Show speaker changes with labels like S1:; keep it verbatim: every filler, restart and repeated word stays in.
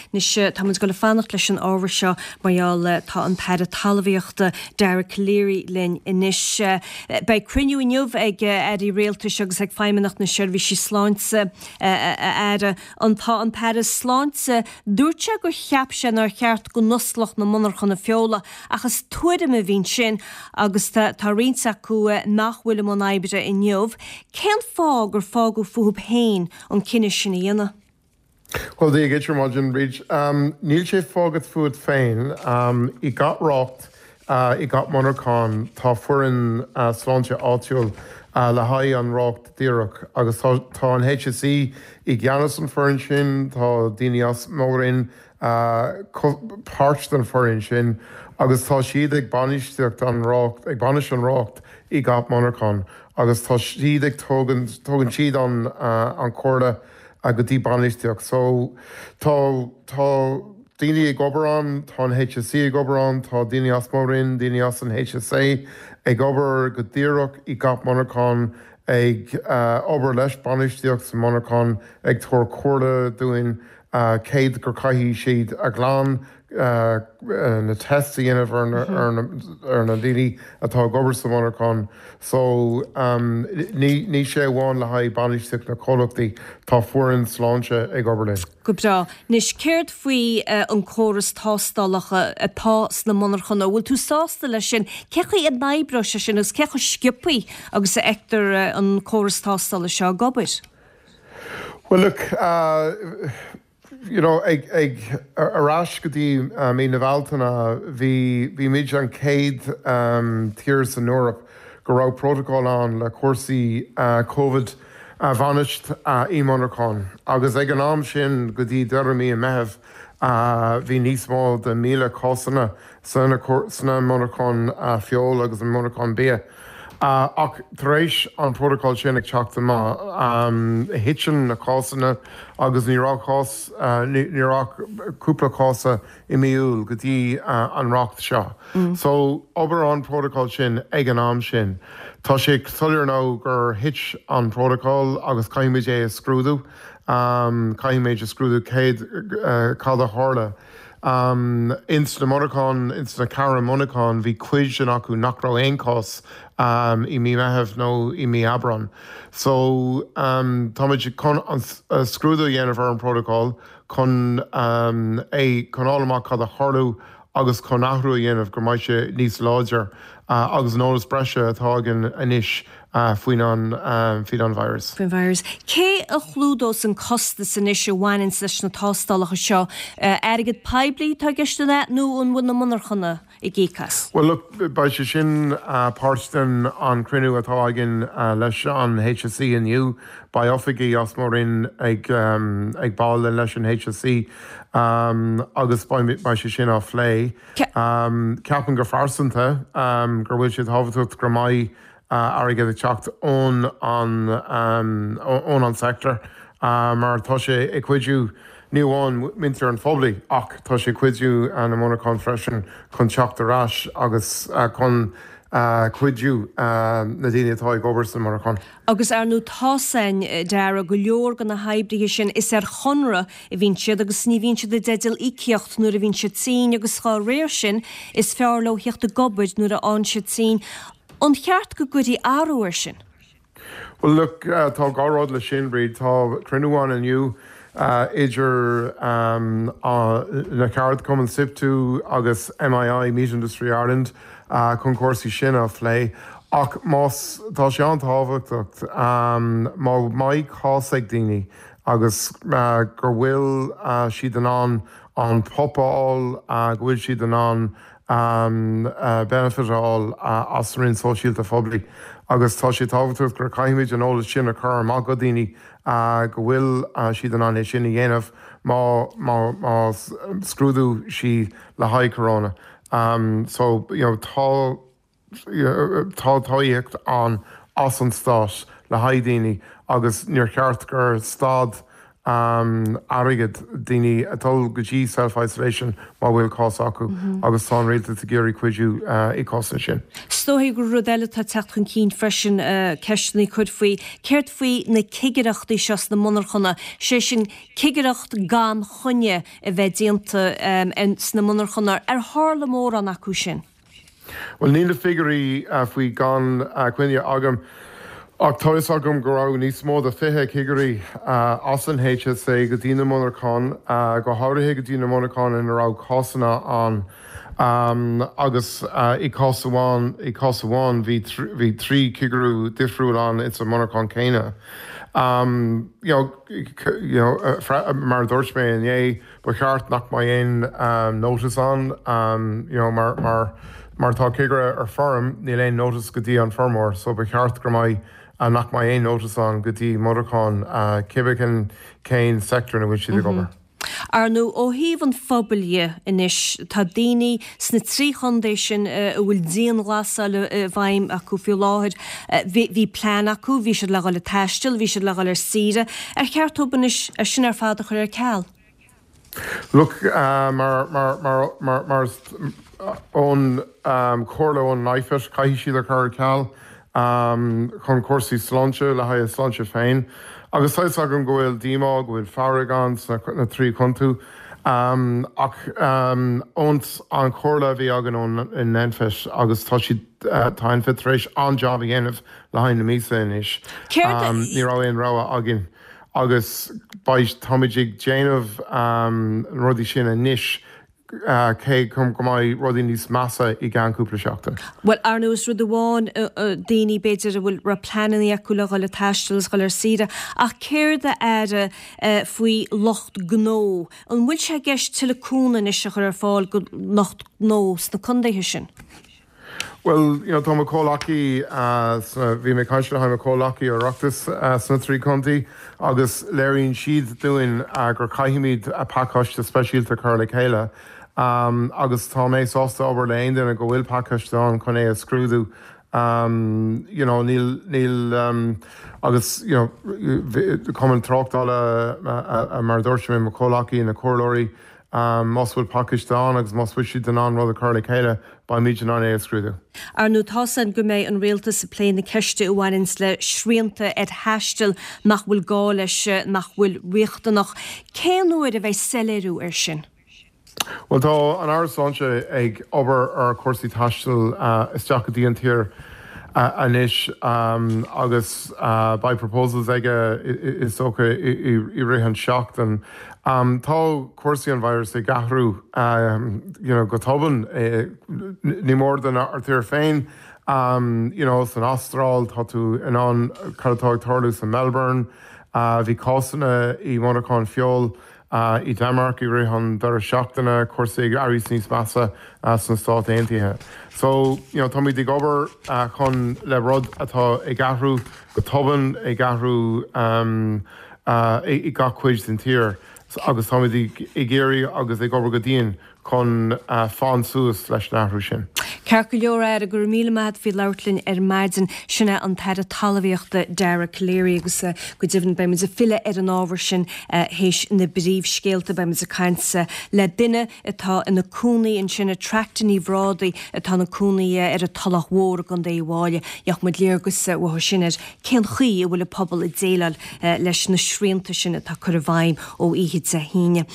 S1: Anois tá muid ag dul a fanacht leis an ábhar seo mar gheall tá an tAire Talmhaíochta Dara Calleary linn anois. Beidh cruinniú inniu ag airí rialtais agus ag Feidhmeannacht na Seirbhísí Sláinte a Aire. An tá an tAire Sláinte dúirt sé gur cheap sé nár cheart go n-osclódh na monarchana feola ach is tuairim a bhí ansin agus tá roinnt acu nach bhfuil i mbun oibre inniu. Cén fáth gur fágadh fúthu féin an cinneadh sin a dhéanamh?
S2: Well Dia dhuit ar maidin Bríd. Um, níl sé fágtha fút féin um, i gach rácht uh, i gach monarchán tá foireann uh, sláinte áitiúil uh, le haghaidh an rácht díreach agus tá, tá an HSE i gceannas an foireann sin tá daoine as mo Roinn uh, páirt den foireann sin agus tá siad ag bainistíocht an rácht ag bainistiú an rácht i gach monarchán agus tá siad ag tugann tugann siad an uh, an chomhairle go dtí bainistíocht. So tá tá daoine ag obair ann, tá an HSE ag obair ann, tá daoine as mo Roinn, daoine as an HSA ag obair go díreach i gach monarchán ag uh, obair leis bainistíocht sa monarchán ag tabhairt comhairle dúinn uh, céard gur caithfidh siad a ghlan uh, uh, na test a dhéanamh ar na, ar na, ar na daoine atá ag obair sa monarchán. So um, ní, ní sé amháin le haghaidh bainistíocht na comhlachtaí tá foireann sláinte ag obair linn.
S1: Go breá. Anois céard faoi uh, an córas tástálacha atá sna monarchana, bhfuil tú sásta leis sin, cé chaoi a n-oibreoidh sé sin agus cé chomh sciobtha agus a fheictear uh, an córas tástála seo ag obair.
S2: Well look uh, you know ag ag ar ais go dtí uh, mí na Bealtaine bhí bhí muid an chéad um, tír san Eoraip go raibh protocol ann le cúrsaí uh, COVID a bhainistiú uh, i monarchán. Agus ag an am sin go dtí deireadh mí an Mheithimh uh, bhí níos mó de míle cásanna sna sna monarchán uh, feoil agus an monarchán bia. Uh, ach tar éis an protocol sin ag teacht amach um, thit na cásanna agus ní raibh cás uh, ní raibh cúpla cás i mí Iúil go dtí uh, an rácht seo. Mm. So obair an protocol sin ag an am sin. Tá sé soiléir nó gur thit an protocol agus caithfimid é a scrúdú, um, caithfimid a scrúdú céad uh, cad a tharla. Um, ins na monarchán ins na ceithre monarchán bhí cuid den acu nach raibh aon cás um, i mí Mheithimh nó i mí Aibreán. So um, táimid chun an uh, scrúdú dhéanamh ar an protocol chun um, é chun fháil amach cad a tharla agus chun athrú a dhéanamh go mbeidh sé níos láidir uh, agus an eolas breise atá againn anois uh, faoin an um, faoin an virus.
S1: Faoin virus. Cé a chlúdós an costas anois a bhaineann leis na tástálacha seo uh, airgead poiblí tá gceist le nó an bhfuil na monarchana ag íoc as?
S2: Well look beidh sé sin uh, páirt den an cruinniú atá againn uh, leis an HSE inniu beidh oifigigh as mo Roinn ag um, ag baile leis an HSE um, agus beidh sé sin á phlé. Um, Ceapaim go pearsanta um, gur bhfuil sé tábhachtach go mbeidh uh, airgead ag teacht ón an um, ón an sector uh, mar tá sé ag cuidiú ní amháin muintir an phobail ach tá sé cuidiú an na monarchán freisin chun teacht ar ais agus uh, chun uh, cuidiú uh, na daoine atá ag obair sa monarchán.
S1: Agus ar ndóigh tá sin deara go leor de na hoibrithe sin is ar chonradh a bhíonn siad agus ní bhíonn siad i dteideal íocaíocht nuair a bhíonn siad tinn agus dá réir sin is fearr leo theacht ag obair nuair a fhaigheann siad tinn. An cheart go gcuirfí athrú air sin?
S2: Well look uh, tá dhá rud le sin Bríd tá cruinniú ann inniu uh, idir um, uh, na ceardchumainn SIPTU agus MII Meat Industry Ireland uh, chun cúrsaí sin a phlé. Ach más tá sé an-tábhachtach um, má mbeidh cás ag daoine agus uh, gur bhfuil uh, siad in ann an PUP a fháil uh, go bhfuil siad in ann um, uh, benefit a fháil uh, as an sóisialta phoiblí. Agus tá sé tábhachtach gur caithfimid an eolas sin a chur amach go daoine uh, go bhfuil uh, siad in ann é sin a dhéanamh má má má scrúdú sí le haghaidh corona. Um, so you know, tá tá tacaíocht ann as an stát le haghaidh daoine agus níor cheart gur stad um, airgead daoine ag dul go dtí self-isolation má bhfuil cás acu mm -hmm. agus tá rialtas ag iarraidh cuidiú uh, i gcás sin.
S1: Is dóigh gur rud eile tá teacht chun cinn freisin uh, ceisteanna a chur faoi céard faoi na cigireachtaí seo sna monarchana sé sin cigireacht gan choinne a bheith déanta um, sna monarchana ar tharla mórán acu sin.
S2: Well níl na figiúirí uh, faoi gan uh, coinne agam ach tá fhios agam go raibh níos mó ná fiche cigirí uh, as an HSA go dtí na monarchana uh, go háirithe go dtí na monarchana ina raibh cásanna ann um, agus uh, i cás amháin i cás amháin bhí bhí trí chigireacht difriúil ann ins an monarcha céanna. Um, you know, you know, uh, mar dúirt mé inné ba cheart nach mbeadh aon um, notice ann um, you know, mar, mar, mar tá cigire ar feirm níl aon notice go dtí an feirmeoir, so ba cheart go mbeadh uh, nach mbeadh aon notice ann go dtí monarcha uh, cibé cén sector ina bhfuil siad ag mhm. obair.
S1: Ar ndóigh ó thaobh an phobail dhe anois tá daoine sna trí chontae sin a bhfuil dianghlasáil i bhfeidhm acu faoi láthair bhí plean acu, bhí siad le dhul ag taisteal, bhí siad le dhul ar saoire, ar cheart dóibh anois é sin ar fad a chur ar ceal.
S2: Look uh, mar mar mar mar mar ón um, chomhairle ón NPHET caithfidh siad a chur ar ceal um, chun cúrsaí sláinte le haghaidh sláinte féin. Agus tá agam go bhfuil díomá go bhfuil fearg ann sna na trí chontae um, ach um, ón an chomhairle a bhí againn ón in NPHET agus tá siad uh, tá NPHET tar éis an-jab a dhéanamh le haghaidh na míosa anois. Um, ní raibh aon rogha againn agus táimid ag déanamh um, rudaí sin anois uh, cé go go mbeidh rudaí níos measa i gceann cúpla seachtain.
S1: Well ar nós rud amháin daoine b'fhéidir a bhfuil ra pleananna acu le dhul ag taisteal is dhul ar saoire ach céard a Aire faoi lucht gnó. An bhfuil sé i gceist tuilleadh cúnamh anois a chur ar fáil go lucht gnó sna contaetha sin?
S2: Well, you know, tá comhleacaí bhí mé ag caint le comhleacaí Oireachtais uh, sna trí chontae agus léiríonn siad dúinn uh, gur caithfimid a pacáiste speisialta chur le chéile. Um, agus tá mé sásta obair le aon duine go bhfuil pacáiste ann chun é a scrúdú. Um, you know, níl níl um, agus you know, cumann tráchtála mar dúirt mé mo chomhleacaí na comhairleoirí um, más bhfuil pacáiste ann agus más bhfuil siad in ann rud a chur le chéile beimid in ann é a scrúdú.
S1: Ar ndóigh tá san go mbeidh an rialtas ag plé na ceiste a bhaineann le srianta ar thaisteal nach bhfuil gá leis nach bhfuil riachtanach. Cén uair a bheidh soiléiriú ar sin?
S2: Well tá an Aire Sláinte ag obair ar cúrsaí taistil uh, isteach go dtí an tír uh, anois um, agus uh, beidh proposals aige is dócha i rith an seachtain. Um, tá cúrsaí an virus ag athrú um, you know, go tobann eh, ní mór don ár tír féin. Um, you know, san Astráil tá tú in ann cad atá ag tarlú san Melbourne, uh, bhí cásanna i monarcha feola, uh, i Denmark i rith an deireadh seachtaine cúrsaí ag éirí níos measa uh, sna Stáit Aontaithe. So you know, táimid ag obair uh, chun le rud atá ag athrú go tobann ag athrú um, uh, i, i gach cuid den tír agus táimid ag iarraidh agus ag obair go dian chun uh, fán suas leis an athrú sin.
S1: Ceart go leor Aire go raibh míle maith faoi labhairt linn ar maidin sin é an tAire Talmhaíochta Dara Calleary agus uh, go deimhin beimid ag filleadh ar an ábhar sin uh, théis na bpríomhscéalta beimid ag caint le duine atá ina cónaí ansin Tracta Ní Bhrádaigh atá ina cónaí ar an Tulach Mhór i gContae Uíbh Fhailí gheobhaidh muid léargas uathu sin ar cén chaoi a bhfuil an pobal ag déileáil leis na srianta sin atá curtha i bhfeidhm ó oíche Dé hAoine.